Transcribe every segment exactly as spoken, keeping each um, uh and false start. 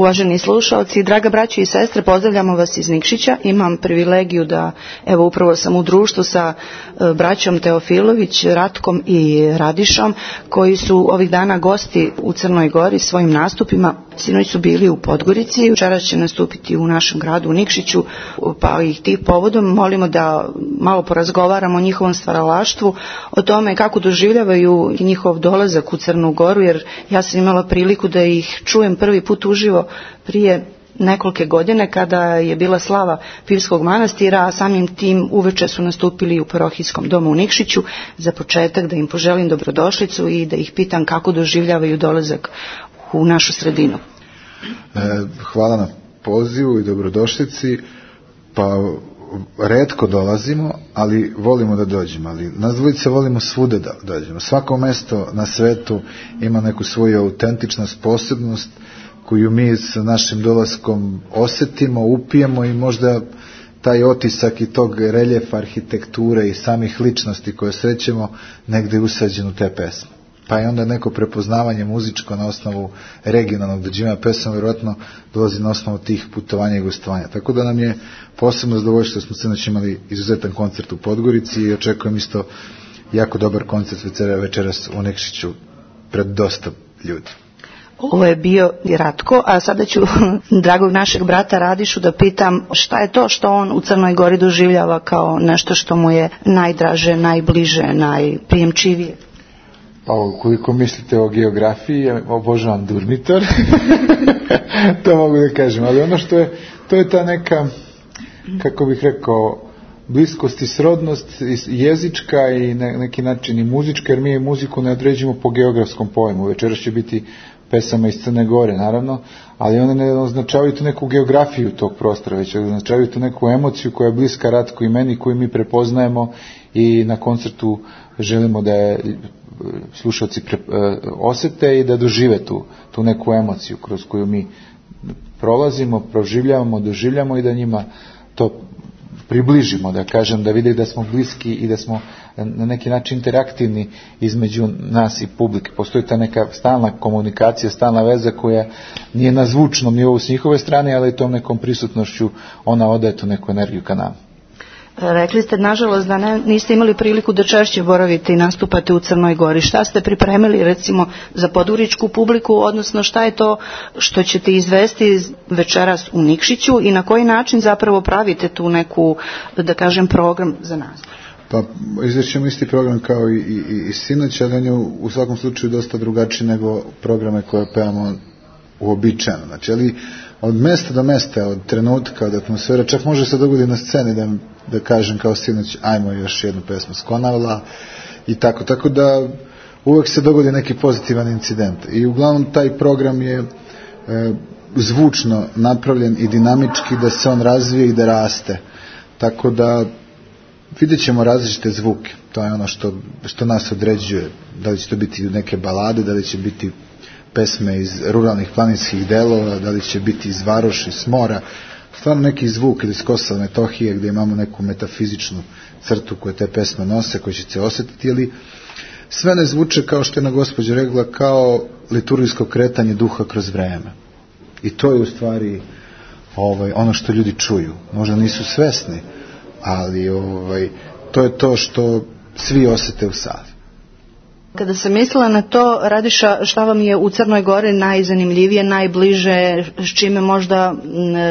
Uvaženi slušalci, draga braćo i sestre, pozdravljamo vas iz Nikšića. Imam privilegiju da, evo, upravo sam u društvu sa braćom Teofilović, Ratkom i Radišom, koji su ovih dana gosti u Crnoj Gori svojim nastupima. Sinoć su bili u Podgorici, večeras će nastupiti u našem gradu u Nikšiću, pa ih tih povodom molimo da malo porazgovaramo o njihovom stvaralaštvu, o tome kako doživljavaju njihov dolazak u Crnu Goru, jer ja sam imala priliku da ih čujem prvi put uživo prije nekolike godine kada je bila slava Pivskog manastira, a samim tim uveče su nastupili u parohijskom domu u Nikšiću. Za početak da im poželim dobrodošlicu i da ih pitam kako doživljavaju dolazak u našu sredinu. Hvala na pozivu i dobrodošlici. Pa retko dolazimo, ali volimo da dođemo, ali nas dvojice volimo svude da dođemo. Svako mesto na svetu ima neku svoju autentičnost, posebnost koju mi sa našim dolaskom osetimo, upijemo i možda taj otisak i tog reljefa arhitekture i samih ličnosti koje srećemo negde usađen u te pesme. Pa je onda neko prepoznavanje muzičko na osnovu regionalnog dođivanja pesama, vjerojatno dolazi na osnovu tih putovanja i gostovanja. Tako da nam je posebno zadovoljstvo što smo sinoć imali izuzetan koncert u Podgorici i očekujem isto jako dobar koncert večeras u Nikšiću pred dosta ljudi. Ovo je bio Ratko, a sada ću dragog našeg brata Radišu da pitam šta je to što on u Crnoj Gori doživljava kao nešto što mu je najdraže, najbliže, najprijemčivije. Pa koliko mislite o geografiji, ja obožavam Durmitor, to mogu da kažem, ali ono što je, to je ta neka, kako bih rekao, bliskost i srodnost jezička i na neki način i muzička, jer mi muziku ne određujemo po geografskom pojmu. Večeras će biti pesama iz Crne Gore, naravno, ali one ne označavaju tu neku geografiju tog prostora, već označavaju tu neku emociju koja je bliska Ratku i meni, koju mi prepoznajemo i na koncertu želimo da je slušalci pre, osete i da dožive tu, tu neku emociju kroz koju mi prolazimo, proživljavamo, doživljamo i da njima to približimo, da kažem, da vide da smo bliski i da smo na neki način interaktivni između nas i publike. Postoji ta neka stalna komunikacija, stalna veza koja nije na zvučnom nivou s njihove strane, ali tom nekom prisutnošću ona odaje tu neku energiju ka nama. Rekli ste, nažalost, da ne, niste imali priliku da češće boravite i nastupate u Crnoj Gori. Šta ste pripremili, recimo, za podgoričku publiku, odnosno šta je to što ćete izvesti večeras u Nikšiću i na koji način zapravo pravite tu neku, da kažem, program za nas? Pa izvećemo isti program kao i, i, i sinoć, ali on je u svakom slučaju dosta drugačiji nego programe koje pevamo uobičajeno. Znači, ali od mesta do mesta, od trenutka, od atmosfera, čak može se dogoditi na sceni da, da kažem kao sinoć, ajmo još jednu pesmu s Konavla i tako. Tako da uvek se dogodi neki pozitivan incident. I uglavnom taj program je e, zvučno napravljen i dinamički da se on razvije i da raste. Tako da vidjet ćemo različite zvuke. To je ono što, što nas određuje. Da li će to biti neke balade, da li će biti pesme iz ruralnih planinskih delova, da li će biti iz Varoša, iz Mora, stvarno neki zvuk ili iz Kosova, Metohije, gdje imamo neku metafizičnu crtu koje te pesme nose, koje će se osjetiti, ali sve ne zvuče kao što je na gospođa rekla, kao liturgijsko kretanje duha kroz vreme. I to je u stvari ovaj, ono što ljudi čuju. Možda nisu svesni, ali ovaj, to je to što svi osjete u sali. Kada sam mislila na to, Radiša, šta vam je u Crnoj Gori najzanimljivije, najbliže, s čime možda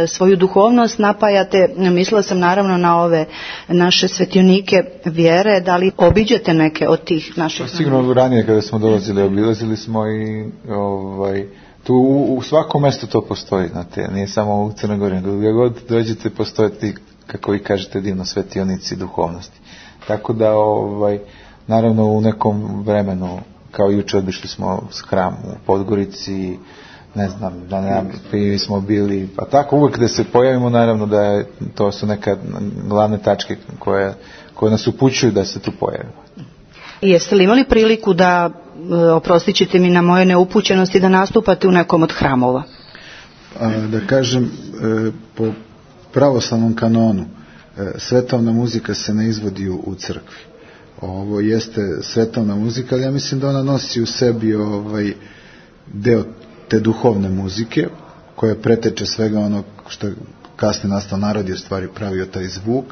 svoju duhovnost napajate, mislila sam naravno na ove naše svetionike vjere, da li obiđete neke od tih naših? Sigurno ranije kada smo dolazili, obilazili smo i ovaj, tu u, u svakom mjestu to postoji, znate, nije samo u Crnoj Gori, nego gdje god dođete postoje ti, kako vi kažete, divno svetionici duhovnosti. Tako da, ovaj, naravno u nekom vremenu, kao juče obišli smo s hram u Podgorici, ne znam, da ne smo bili, pa tako uvijek da se pojavimo, naravno da je, to su neka glavne tačke koje, koje nas upućuju da se tu pojavimo. Jeste li imali priliku da, oprostit ćete mi na moje neupućenosti, da nastupate u nekom od hramova? A, da kažem, po pravoslavnom kanonu, svetovna muzika se ne izvodi u, u crkvi. Ovo jeste svetovna muzika, ali ja mislim da ona nosi u sebi ovaj deo te duhovne muzike koja preteče svega onog što je kasnije nastao narod je u stvari pravio taj zvuk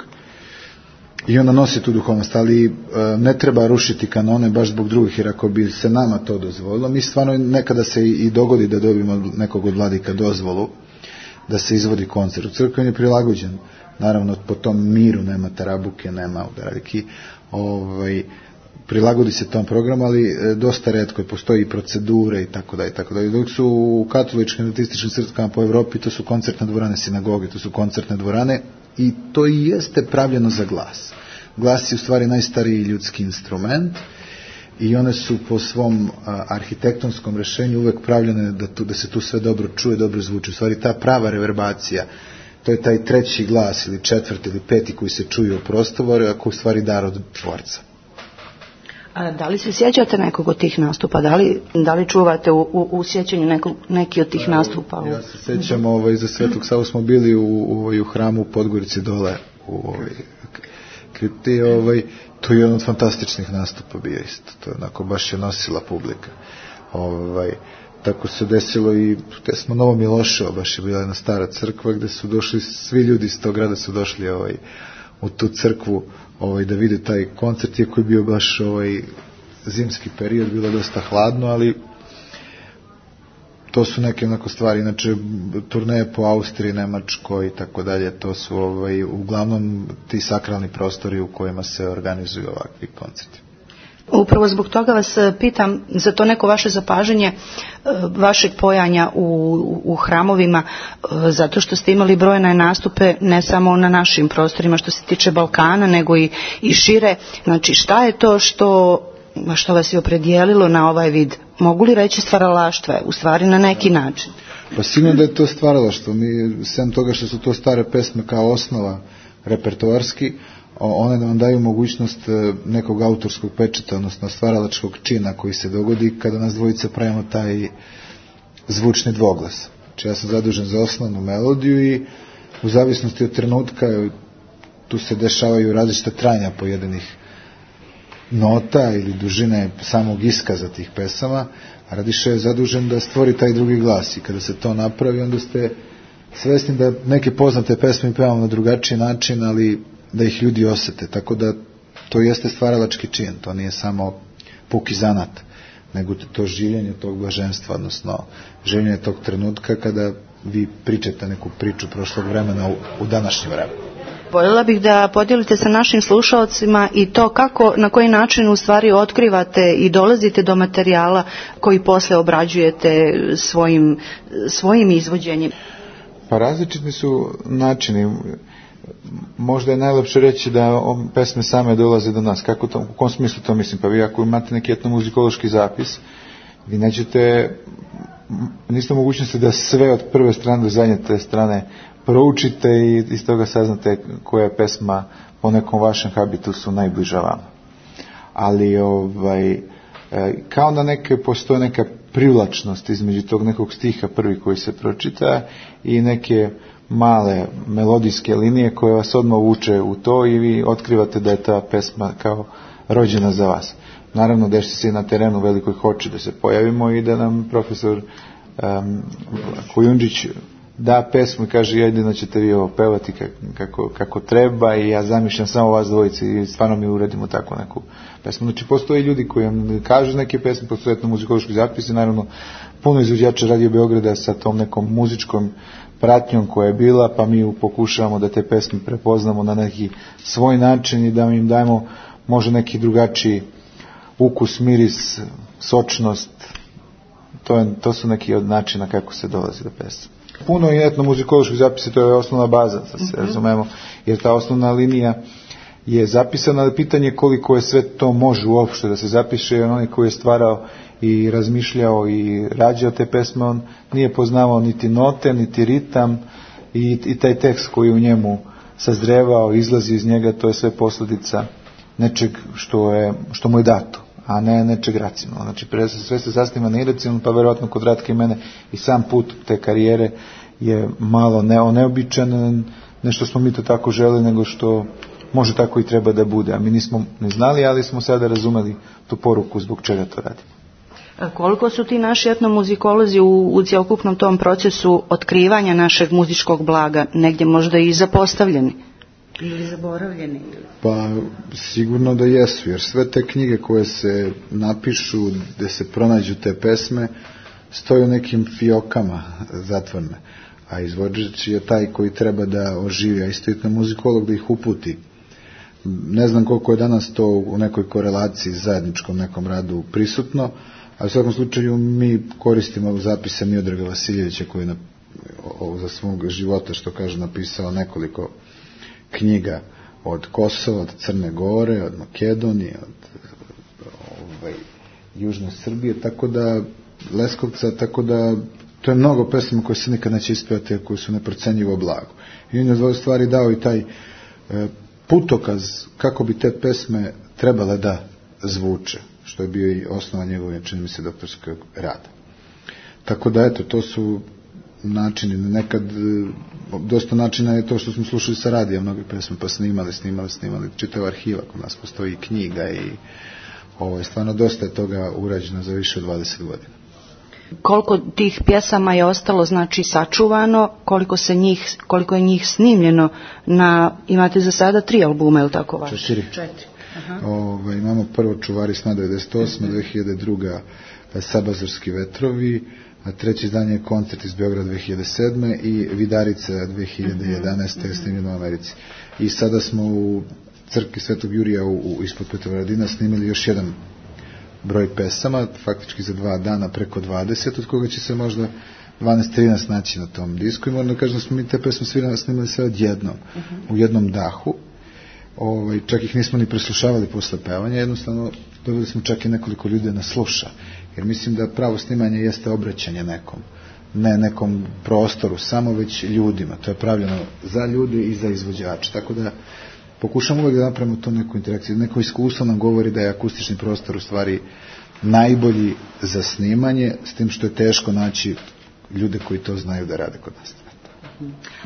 i onda nosi tu duhovnost, ali e, ne treba rušiti kanone baš zbog drugih, jer ako bi se nama to dozvolilo, mi stvarno nekada se i, i dogodi da dobijemo nekog od vladika dozvolu da se izvodi koncert. U crkvi je prilagođen, naravno po tom miru, nema tarabuke, nema udarajki, ovaj, prilagodi se tom programu, ali e, dosta retko, postoji i procedure i tako da i tako da. Dok su u katoličkim adventističkim crkvama po Evropi, to su koncertne dvorane sinagoge, to su koncertne dvorane i to i jeste pravljeno za glas. Glas je u stvari najstariji ljudski instrument i one su po svom a, arhitektonskom rešenju uvek pravljene da, tu, da se tu sve dobro čuje, dobro zvuči. U stvari ta prava reverbacija, to je taj treći glas ili četvrti ili peti koji se čuje u prostoru, a koji u stvari dar od tvorca. A da li se sjećate nekog od tih nastupa? Da li, da li čuvate u, u, u sjećanju nekog, neki od tih nastupa? Ja se sjećam, ovaj, za Svetog Savu smo bili u, u, u hramu u Podgorici dole u ovaj, kripti, ovaj, to je jedan od fantastičnih nastupa bio isto. To je onako baš je nosila publika. Ovaj, tako se desilo i gde smo Novo Miloševo, baš je bila jedna stara crkva gde su došli, svi ljudi iz tog grada su došli ovaj, u tu crkvu ovaj, da vide taj koncert, iako je bio baš ovaj, zimski period, bilo dosta hladno, ali to su neke onako stvari, inače turneje po Austriji, Nemačkoj i tako dalje, to su ovaj, uglavnom ti sakralni prostori u kojima se organizuju ovakvi koncerti. Upravo zbog toga vas pitam za to neko vaše zapažanje vašeg pojanja u, u hramovima, zato što ste imali brojne nastupe ne samo na našim prostorima što se tiče Balkana, nego i, i šire. Znači šta je to što, što vas je opredijelilo na ovaj vid? Mogu li reći stvaralaštva? U stvari na neki način. Pa sigurno da je to stvaralaštvo. Mi, sem toga što su to stare pesme kao osnova repertoarski, one nam daju mogućnost nekog autorskog pečeta, odnosno stvaralačkog čina koji se dogodi kada nas dvojice pravimo taj zvučni dvoglas. Znači ja sam zadužen za osnovnu melodiju i u zavisnosti od trenutka tu se dešavaju različite trajanja pojedinih nota ili dužine samog iskaza tih pesama, a Radiša je zadužen da stvori taj drugi glas i kada se to napravi onda ste svesni da neke poznate pesme pevamo na drugačiji način, ali da ih ljudi osete, tako da to jeste stvaralački čin, to nije samo puki zanat, nego to življenje tog blaženstva, odnosno življenje tog trenutka kada vi pričate neku priču prošlog vremena u, u današnje vreme. Voljela bih da podijelite sa našim slušalcima i to kako, na koji način u stvari otkrivate i dolazite do materijala koji posle obrađujete svojim, svojim izvođenjem. Pa različiti su načini. Možda je najlepše reći da pesme same dolaze do nas. Kako to, u kom smislu to mislim? Pa vi ako imate neki etnomuzikološki zapis, vi nećete, niste mogućnosti da sve od prve strane do zadnje te strane proučite i iz toga saznate koja je pesma po nekom vašem habitusu najbliža vama. Ali ovaj, kao da neke, postoje neka privlačnost između tog nekog stiha prvi koji se pročita i neke male melodijske linije koje vas odmah vuče u to i vi otkrivate da je ta pesma kao rođena za vas. Naravno, dešava se na terenu velikoj hoće da se pojavimo i da nam profesor um, Kujundžić da pesmu i kaže jedino ćete vi ovo pevati kako, kako treba i ja zamišljam samo vas dvojici i stvarno mi uredimo tako neku pesmu. Znači postoje ljudi koji vam kažu neke pesme, postoje etnomuzikološki zapisi, naravno puno izvođača Radio Beograda sa tom nekom muzičkom pratnjom koja je bila, pa mi pokušavamo da te pesme prepoznamo na neki svoj način i da im dajemo možda neki drugačiji ukus, miris, sočnost. To, je, to su neki od načina kako se dolazi do pesme. Puno je etnomuzikoloških zapisa, to je osnovna baza, da se razumemo, jer ta osnovna linija je zapisana, ali pitanje koliko je sve to može uopšte da se zapiše, jer onaj koji je stvarao i razmišljao i rađao te pesme, on nije poznavao niti note, niti ritam i, i taj tekst koji u njemu sazrevao, izlazi iz njega, to je sve posljedica nečeg što, je, što mu je dato, a ne nečeg racionalno. Znači, sve se sasniva na iracionalno, pa verovatno kod Ratke i mene i sam put te karijere je malo ne, neobičan, nešto smo mi to tako želi, nego što može tako i treba da bude. A mi nismo ne znali, ali smo sada razumeli tu poruku zbog čega to radimo. Koliko su ti naši etnomuzikolozi u, u cjelokupnom tom procesu otkrivanja našeg muzičkog blaga negdje možda i zapostavljeni ili zaboravljeni? Pa sigurno da jesu, jer sve te knjige koje se napišu, gde se pronađu te pesme, stoje u nekim fiokama zatvorne, a izvođač je taj koji treba da oživi, a isto etnomuzikolog da ih uputi. Ne znam koliko je danas to u nekoj korelaciji zajedničkom nekom radu prisutno, a u svakom slučaju mi koristimo zapise Miodraga Vasiljevića koji je na, o, za svog života, što kaže, napisao nekoliko knjiga od Kosova, od Crne Gore, od Makedonije, od ovaj, Južne Srbije, tako da Leskovca, tako da to je mnogo pesama koje se nikad neće ispevati, a koje su neprocenjivo blago. I on je od stvari dao i taj e, putokaz kako bi te pesme trebale da zvuče, što je bio i osnova njegove, čini mi se, doktorskog rada. Tako da, eto, to su načini, nekad dosta načina je to što smo slušali sa radija, mnoge pesme pa snimali, snimali, snimali, čitava arhiva, kod nas postoji knjiga i ovo je stvarno dosta je toga urađeno za više od dvadeset godina. Koliko tih pjesama je ostalo, znači, sačuvano, koliko se njih, koliko je njih snimljeno na, imate za sada tri albuma, je li tako vaš? Četiri. Četiri. Ove, imamo prvo Čuvari sna devedeset osme, dve hiljade druge. Sabazorski vetrovi, a treće izdanje je Koncert iz Beograda dve hiljade sedme i Vidarica dve hiljade jedanaeste. snimljeno u Americi. I sada smo u crkvi Svetog Jurija u, u, ispod Petrovaradina snimili još jedan broj pesama, faktički za dva dana preko dvadeset, od koga će se možda dvanaest trinaest naći na tom disku i moram da kažem da smo mi te pesme svi snimali sve odjednom, uh-huh. u jednom dahu. Ovaj, čak ih nismo ni preslušavali posle pevanja, jednostavno dobili smo čak i nekoliko ljudi na sluša, jer mislim da pravo snimanje jeste obraćanje nekom, ne nekom prostoru, samo već ljudima, to je pravljeno za ljude i za izvođače, tako da pokušamo uvijek da napravimo to neku interakciju, neko iskustvo nam govori da je akustični prostor u stvari najbolji za snimanje, s tim što je teško naći ljude koji to znaju da rade kod nas.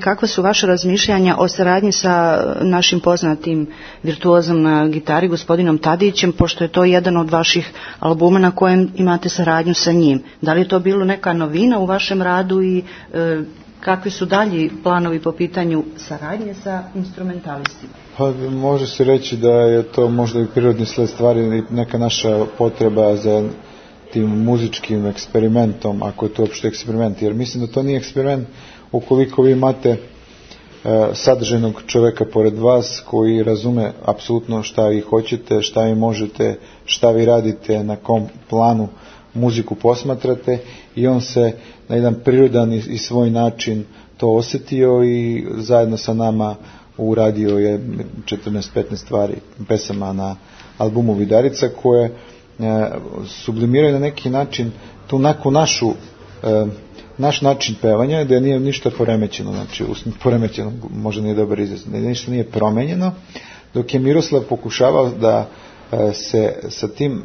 Kakva su vaše razmišljanja o saradnji sa našim poznatim virtuozom na gitari, gospodinom Tadićem, pošto je to jedan od vaših albuma na kojem imate saradnju sa njim? Da li je to bilo neka novina u vašem radu i e, kakvi su dalji planovi po pitanju saradnje sa instrumentalistima? Pa, može se reći da je to možda i prirodni sled stvari, neka naša potreba za tim muzičkim eksperimentom, ako je to uopšte eksperiment, jer mislim da to nije eksperiment ukoliko vi imate e, sadržajnog čoveka pored vas koji razume apsolutno šta vi hoćete, šta vi možete, šta vi radite, na kom planu muziku posmatrate i on se na jedan prirodan i, i svoj način to osjetio i zajedno sa nama uradio je četrnaest petnaest stvari, pesama na albumu Vidarica koje e, sublimiraju na neki način tu neku našu e, naš način pevanja, da nije ništa poremećeno, znači poremećeno možda nije dobar izraz, da ništa nije promenjeno, dok je Miroslav pokušavao da e, se sa tim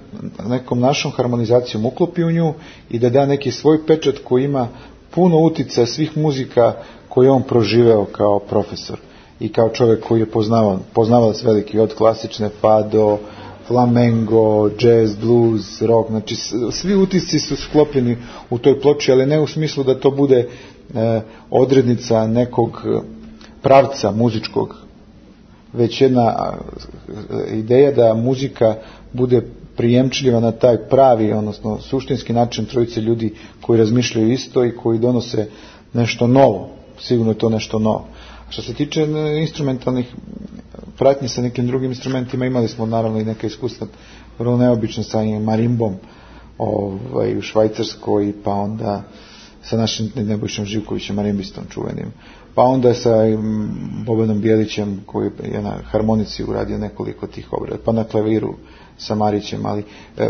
nekom našom harmonizacijom uklopi u nju i da da neki svoj pečat koji ima puno uticaja svih muzika koje on proživeo kao profesor i kao čovjek koji je poznavao, poznavalac veliki od klasične pa do flamengo, jazz, blues, rock, znači svi utisci su sklopljeni u toj ploči, ali ne u smislu da to bude e, odrednica nekog pravca muzičkog, već jedna e, ideja da muzika bude prijemčljiva na taj pravi, odnosno suštinski način trojice ljudi koji razmišljaju isto i koji donose nešto novo, sigurno je to nešto novo. Što se tiče instrumentalnih pratnje sa nekim drugim instrumentima, imali smo naravno i neka iskustva vrlo neobično sa marimbom ovaj, u Švajcarskoj, pa onda sa našim Nebojšom Živkovićem, marimbistom čuvenim, pa onda sa Bobanom Bijelićem koji je na harmonici uradio nekoliko tih obrada, pa na klaviru sa Marićem, ali e,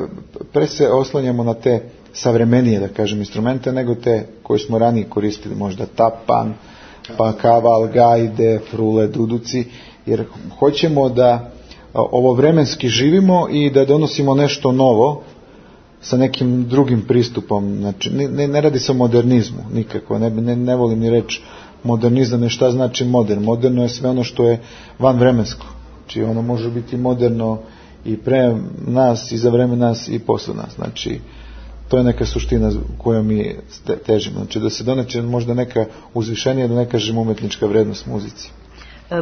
pre se oslanjamo na te savremenije, da kažem, instrumente nego te koje smo ranije koristili, možda tapan, pa kaval, gajde, frule, duduci, jer hoćemo da ovo vremenski živimo i da donosimo nešto novo sa nekim drugim pristupom. Znači, ne, ne radi se o modernizmu nikako, ne, ne, ne volim ni reći modernizam, je šta znači modern. Moderno je sve ono što je van vremensko. Znači, ono može biti moderno i pre nas, i za vreme nas, i posle nas. Znači, to je neka suština koju mi težimo. Znači da se doneće možda neka uzvišenija, da ne kažem umetnička vrednost muzici.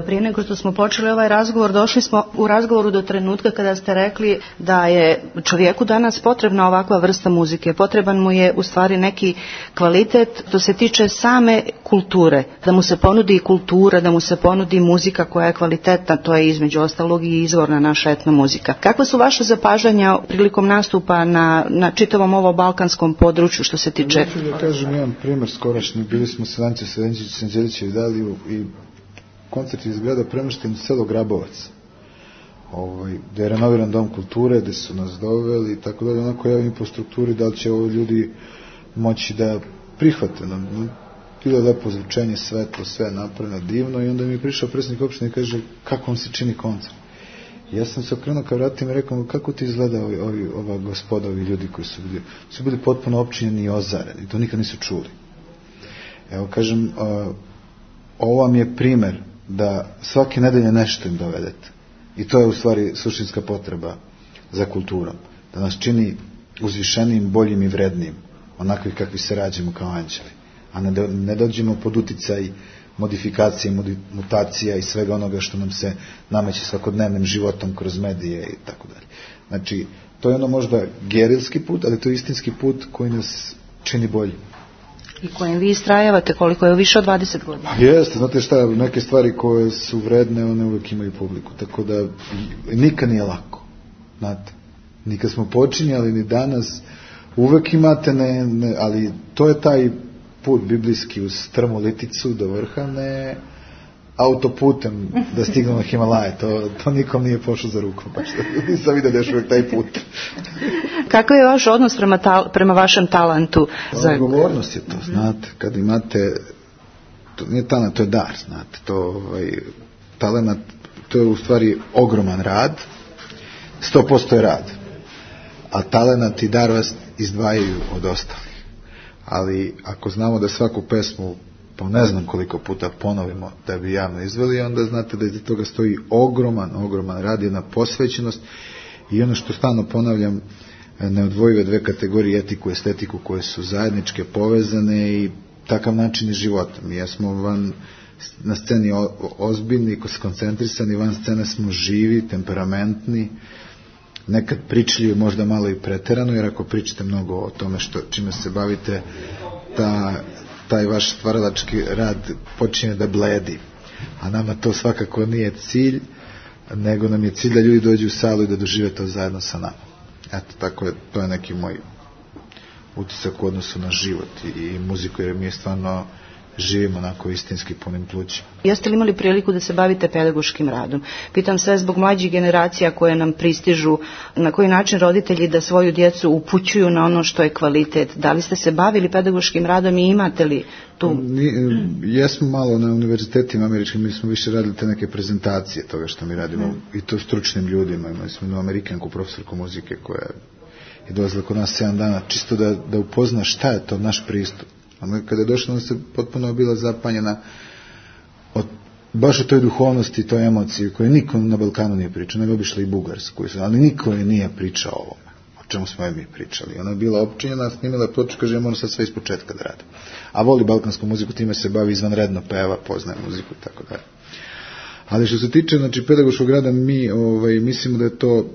Prije nego što smo počeli ovaj razgovor, došli smo u razgovoru do trenutka kada ste rekli da je čovjeku danas potrebna ovakva vrsta muzike. Potreban mu je u stvari neki kvalitet što se tiče same kulture. Da mu se ponudi kultura, da mu se ponudi muzika koja je kvalitetna, to je između ostalog i izvorna naša etno muzika. Kakva su vaše zapažanja prilikom nastupa na, na čitavom ovom balkanskom području što se tiče? Ja ću da kažem jedan primjer skorašnji. Bili smo sa Vance Sanđelićem i Daliju i koncert je izgleda premješten u selo Grabovac, ovaj, gdje je renoviran dom kulture, gdje su nas doveli i tako dalje, onako javim po strukturi da li će ovo ljudi moći da prihvate nam. Bilo je lepo zvučenje, svetlo, sve napravljeno divno i onda mi je prišao predsjednik opštine i kaže kako vam se čini koncert. I ja sam se okrenuo ka vratima i rekao kako ti izgleda ovi, ovi, ova gospoda, ovi ljudi koji su bili, su bili potpuno opčinjeni i ozareni, to nikad nisu čuli. Evo kažem, uh, ovo vam je primer da svake nedelje nešto im dovedete. I to je u stvari suštinska potreba za kulturom. Da nas čini uzvišenijim, boljim i vrednijim, onakvi kakvi se rađemo kao anđeli. A ne, do, ne dođemo pod uticaj modifikacije, mutacija i svega onoga što nam se nameće svakodnevnim životom kroz medije i tako dalje. Znači, to je ono možda gerilski put, ali to je istinski put koji nas čini bolji. I kojem vi istrajavate, koliko je više od dvadeset godina. Jeste, znate šta, neke stvari koje su vredne, one uvijek imaju publiku, tako da nikad nije lako, znate, nikad smo počinjali ni danas, uvijek imate, ne, ne, ali to je taj put biblijski uz strmu liticu do vrha, ne autoputem da stignemo na Himalaje, to, to nikom nije pošlo za rukom, baš nisam vidio da je uvijek taj put. Kakav je vaš odnos prema, tal, prema vašem talentu? Za... Odgovornost je to, znate, kad imate, to nije talent, to je dar, znate, to ovaj, talent, to je u stvari ogroman rad, sto posto je rad, a talent i dar vas izdvajaju od ostalih, ali ako znamo da svaku pesmu po ne znam koliko puta ponovimo da bi javno izveli, onda znate da iza toga stoji ogroman, ogroman rad, jedna posvećenost i ono što stalno ponavljam, neodvojive dve kategorije, etiku i estetiku, koje su zajedničke, povezane i takav način je života. Mi jesmo van, na sceni o, ozbiljni, skoncentrisani, van scene smo živi, temperamentni, nekad pričljivi, možda malo i preterano, jer ako pričate mnogo o tome što, čime se bavite, ta taj vaš stvaralački rad počinje da bledi. A nama to svakako nije cilj, nego nam je cilj da ljudi dođu u salu i da dožive to zajedno sa nama. Eto, tako je, to je neki moj utisak u odnosu na život i, i muziku, jer mi je stvarno živimo onako istinski punim plućima. Jeste li imali priliku da se bavite pedagoškim radom? Pitam sve zbog mlađih generacija koje nam pristižu, na koji način roditelji da svoju djecu upućuju na ono što je kvalitet. Da li ste se bavili pedagoškim radom i imate li tu? Jesmo malo na univerzitetima američkim, mi smo više radili te neke prezentacije toga što mi radimo, hmm. i to stručnim ljudima. Imali smo jednu Amerikanku, profesorku muzike, koja je dolazila kod nas sedam dana, čisto da, da upozna šta je to naš pristup. A kada je došla, ona se potpuno bila zapanjena od, baš o toj duhovnosti i toj emociji koje niko na Balkanu nije pričao, nego obišla i Bugarsku, ali niko je nije pričao o ovome, o čemu smo je mi pričali. Ona je bila opčinjena, snimila je ploču, kaže ja moram sad sve iz početka da radim. A voli balkansku muziku, time se bavi izvanredno, peva, poznaje muziku i tako dalje. Ali što se tiče, znači, pedagoškog rada, mi ovaj, mislimo da je to,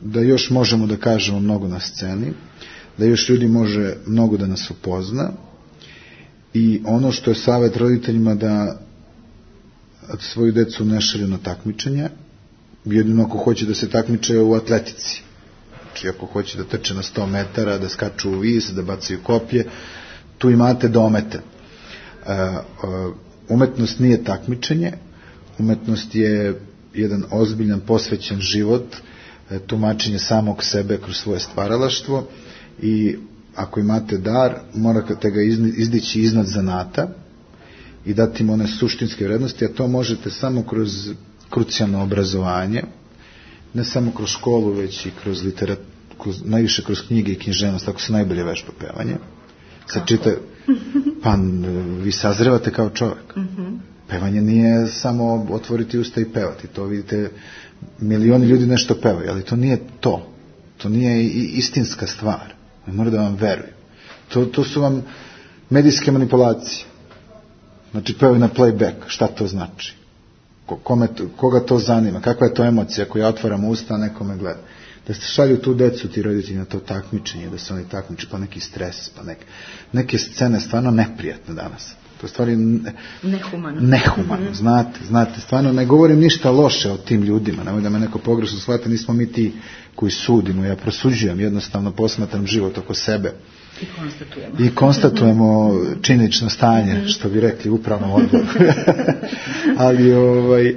da još možemo da kažemo mnogo na sceni, da još ljudi može mnogo da nas upozna. I ono što je savjet roditeljima, da svoju decu ne šalju na takmičenje, jedino ako hoće da se takmiče u atletici. Znači ako hoće da trče na sto metara, da skaču u vis, da bacaju kopje, tu imate domete. Umetnost nije takmičenje, umetnost je jedan ozbiljan, posvećen život, tumačenje samog sebe kroz svoje stvaralaštvo i ako imate dar, morate ga izdići iznad zanata i dati im one suštinske vrednosti, a to možete samo kroz krucijalno obrazovanje, ne samo kroz školu, već i kroz literaturu, najviše kroz knjige i književnost, tako se najbolje vežba pevanje. Sad čita, pa vi sazrevate kao čovjek. Pevanje nije samo otvoriti usta i pevati, to vidite, milioni ljudi nešto pevaju, ali to nije to. To nije istinska stvar. Oni moraju da vam veruju. To, to su vam medijske manipulacije. Znači, pevaju na playback. Šta to znači? Kome, koga to zanima? Kakva je to emocija koju ja otvaram usta, a nekome gleda? Da se šalju tu decu ti roditelji na to takmičenje, da se oni takmiče, pa neki stres, pa neke, neke scene stvarno neprijatne danas. To je stvari ne, nehumano. Nehumano, znate, znate. Stvarno ne govorim ništa loše o tim ljudima. Nemoj da me neko pogrešno shvati, nismo mi ti koji sudimo. Ja prosuđujem, jednostavno posmatram život oko sebe. I konstatujemo. I konstatujemo činjenično stanje, što bi rekli u upravnom odboru. Ali ovaj,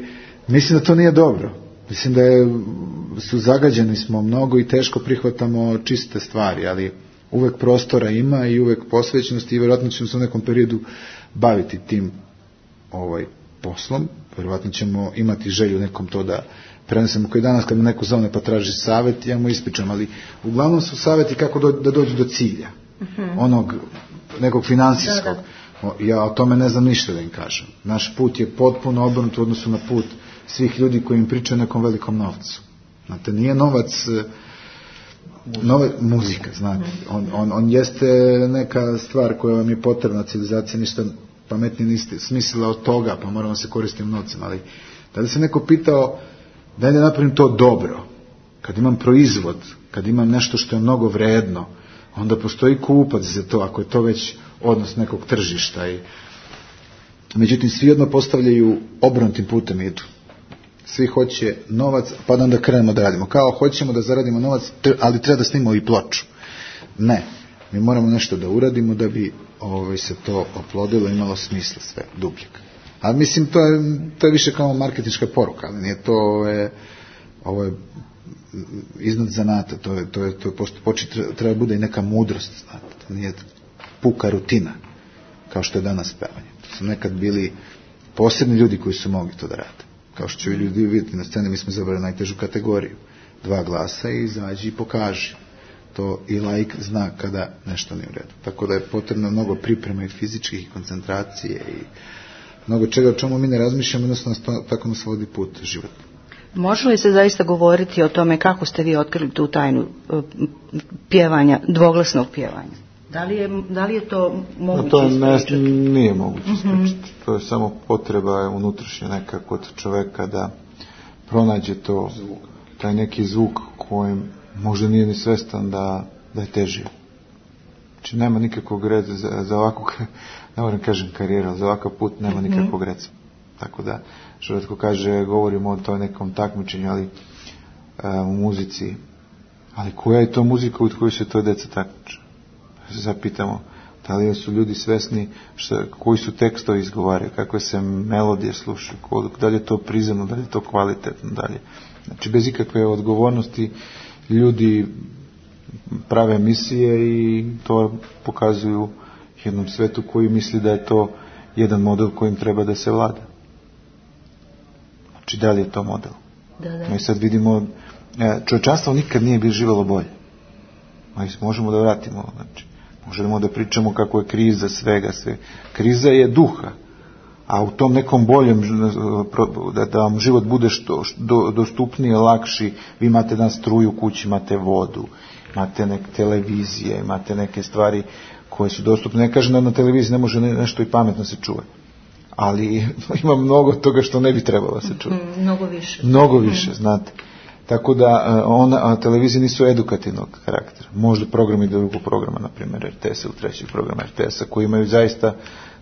mislim da to nije dobro. Mislim da je, su zagađeni smo mnogo i teško prihvatamo čiste stvari, ali uvek prostora ima i uvek posvećenosti i vjerojatno ćemo se u nekom periodu baviti tim ovaj, poslom. Vjerojatno ćemo imati želju nekom to da prenesemo, koji danas kad neko zove pa traži savjet, ja mu ispričam, ali uglavnom su savjeti kako do, da dođu do cilja. Uh-huh. Onog nekog financijskog. Da, da. Ja o tome ne znam ništa da im kažem. Naš put je potpuno obrnut u odnosu na put svih ljudi koji im pričaju nekom velikom novcu. Znate, nije novac nove, muzika, znate. On, on, on jeste neka stvar koja vam je potrebna civilizacija, ništa pametnije niste smislila od toga, pa moramo se koristiti novcem, ali da li se neko pitao da li napravim to dobro, kad imam proizvod, kad imam nešto što je mnogo vredno, onda postoji kupac za to, ako je to već odnos nekog tržišta. I međutim, svi odmah postavljaju obrnutim putem idu. Svi hoće novac, pa da onda krenemo da radimo. Kao hoćemo da zaradimo novac, ali treba da snimamo i ploču. Ne, mi moramo nešto da uradimo da bi ovaj, se to oplodilo, imalo smisla sve, dubljeg. Ali mislim, to je, to je više kao marketinška poruka, ali nije to, ovo je, ovo je iznad zanata, to je, to je, to je posto, počet, treba, treba bude i neka mudrost, znate, to nije puka rutina, kao što je danas pevanje. To su nekad bili posebni ljudi koji su mogli to da rade. Kao što će ljudi vidjeti na sceni, mi smo izabrali najtežu kategoriju. Dva glasa i izađi i pokaži. To i laik zna kada nešto nije u redu. Tako da je potrebno mnogo priprema i fizičkih i koncentracije i mnogo čega o čemu mi ne razmišljamo, jednostavno tako nas vodi put život. Može li se zaista govoriti o tome kako ste vi otkrili tu tajnu pjevanja, dvoglasnog pjevanja? Da li je, da li je to moguće to ne, ispričati? Nije moguće ispričati. Mm-hmm. To je samo potreba unutrašnja neka kod čoveka da pronađe to, taj neki zvuk kojem možda nije ni svestan da, da je težio. Znači nema nikakvog reda za, za ovakvu, ne moram kažem karijera, za ovakav put nema mm-hmm. nikakvog reda. Tako da, što retko kaže, govorimo o toj nekom takmičenju, ali a, u muzici. Ali koja je to muzika u kojoj se to deca takmiče? Se zapitamo, da li su ljudi svesni šta, koji su tekstovi izgovaraju, kakve se melodije slušaju, da li je to prizemno, da li je to kvalitetno, dalje. Znači, bez ikakve odgovornosti ljudi prave emisije i to pokazuju jednom svetu koji misli da je to jedan model kojim treba da se vlada. Znači, da li je to model? Da, da. Mi sad vidimo, čovječanstvo nikad nije bilo živjelo bolje. Mi možemo da vratimo, znači, možemo da pričamo kako je kriza svega, sve. Kriza je duha, a u tom nekom boljem, da, da vam život bude što, što dostupniji, lakši, vi imate dan struju u kući, imate vodu, imate neke televizije, imate neke stvari koje su dostupne. Ne kažem da na televiziji ne može nešto i pametno se čuje, ali ima mnogo toga što ne bi trebalo da se čuje. Mm, mnogo više. Mnogo više, mm. znate. Tako da ona, televizije nisu edukativnog karaktera. Možda programi drugog programa, na primjer R T S ili trećeg programa R T S-a, koji imaju zaista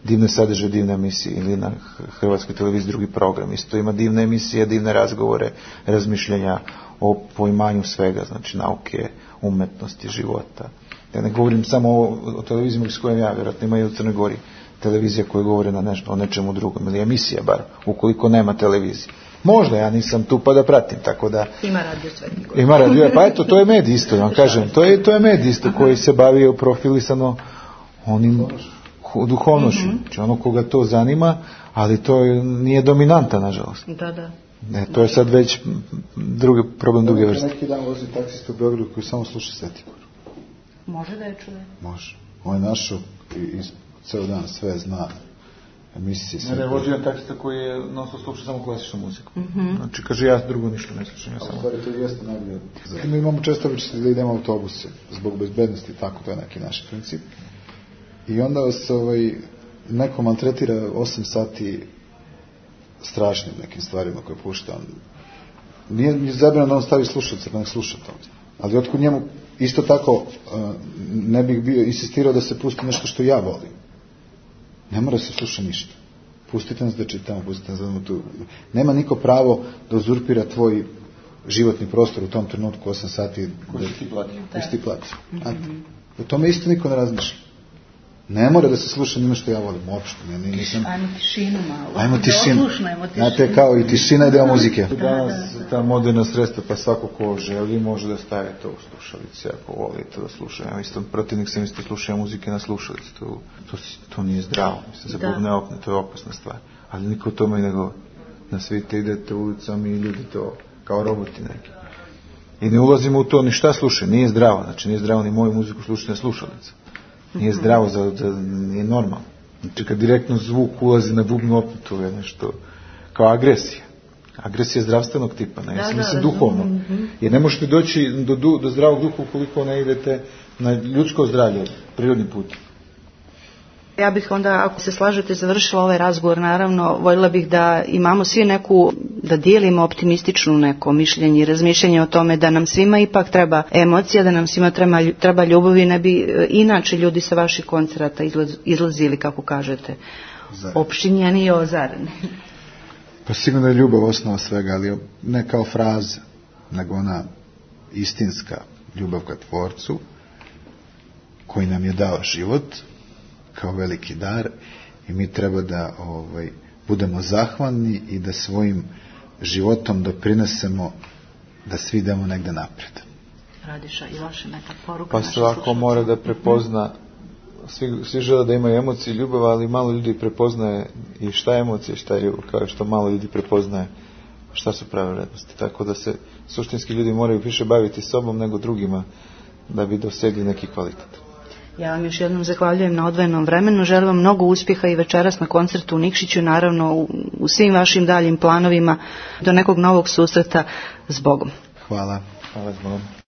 divne sadržaje, divne emisije, ili na Hrvatskoj televiziji drugi program. Isto ima divne emisije, divne razgovore, razmišljenja o poimanju svega, znači nauke, umetnosti, života. Ja ne govorim samo o, o televiziji s kojom ja, vjerojatno ima i u Crnoj Gori televizija koja govore na nešto, o nečemu drugom, ili emisija bar, ukoliko nema televizije. Možda ja nisam tu pa da pratim, tako da... Ima radio Sveti Gor. Ima radio, pa eto, to je medij isto, vam kažem. To je, to je medij isto koji se bavio profilisano onim duhovnošću. Mm-hmm. Znači ono koga to zanima, ali to je, nije dominanta, nažalost. Da, da. Ne, to je sad već drugi, problem druge vrste. Neki dan vozi taksista u Beogradu koji samo sluša Sveti Gor. Može da je čuje? Može. On je našao i, i ceo dan sve zna. emisije. Ne, ne, vođi jedan taksista koji je non stop sluša samo klasičnu muziku. Mm-hmm. Znači, kaže, ja drugo ništa ne slušam, ja samo... Stvari, to je jeste najbolje. Zatim mi imamo često običaj da idemo autobuse, zbog bezbednosti, tako, to je neki naš princip. I onda se ovaj, neko maltretira osam sati strašnim nekim stvarima koje pušta. Nije, nije zabranjeno da on stavi slušalice, pa ne sluša to. Ali otkud njemu isto tako ne bih bio insistirao da se pusti nešto što ja volim. Ne mora se sluša ništa. Pustite nas da čitamo, pustite nas da imamo tu. Nema niko pravo da uzurpira tvoj životni prostor u tom trenutku osam sati. Koji ti plati. Koji ti plati. Mm-hmm. O tome isto niko ne razmišlja. Ne mora da se sluša njima što ja volim, uopšte. Ne, nisam... Ajmo tišinu malo. Ajmo tišinu. Ajmo tišinu. Znate, kao i tišina je deo muzike. Da, danas da, da. Ta moderna sredstva, pa svako ko želi može da staje to u slušalice, ako volite da sluša. Ja isto protivnik sam isto slušao muzike na slušalice. To, to, to nije zdravo. Mislim, za Bog ne opne, to je opasna stvar. Ali niko o tome i ne govori. Na svite idete ulicom i ljudi to kao roboti neki. I ne ulazimo u to ni šta slušaju. Nije zdravo. Znači, nije zdravo ni moju muziku slušati na slušalice. Nije zdravo, za, za, nije normalno. Znači kad direktno zvuk ulazi na bubnu opnu, to je nešto kao agresija. Agresija zdravstvenog tipa, ne, da, mislim da, duhovno. Mm-hmm. Jer ne možete doći do, do, do zdravog duha ukoliko ne idete na ljudsko zdravlje, prirodni put. Ja bih onda, ako se slažete, završila ovaj razgovor, naravno, voljela bih da imamo svi neku, da dijelimo optimističnu neko mišljenje i razmišljanje o tome da nam svima ipak treba emocija, da nam svima treba, treba ljubav i ne bi inače ljudi sa vaših koncerata izlaz, izlazili, kako kažete, opštinjeni i ozareni. Pa sigurno je ljubav osnova svega, ali ne kao fraza, nego ona istinska ljubav ka Tvorcu, koji nam je dao život, kao veliki dar, i mi treba da ovaj, budemo zahvalni i da svojim životom doprinesemo da svi idemo negde napred. Radiša, i vaša neka poruka? Pa svako mora da prepozna, svi, svi žele da imaju emocije i ljubav, ali malo ljudi prepoznaje i šta je emocija, šta je ljubav, kao što malo ljudi prepoznaje šta su prave vrednosti. Tako da se suštinski ljudi moraju više baviti sobom nego drugima da bi dosegli neki kvalitet. Ja vam još jednom zahvaljujem na odvojenom vremenu, želim vam mnogo uspjeha i večeras na koncertu u Nikšiću, naravno u, u svim vašim daljim planovima, do nekog novog susreta s Bogom. Hvala. Hvala s Bogom.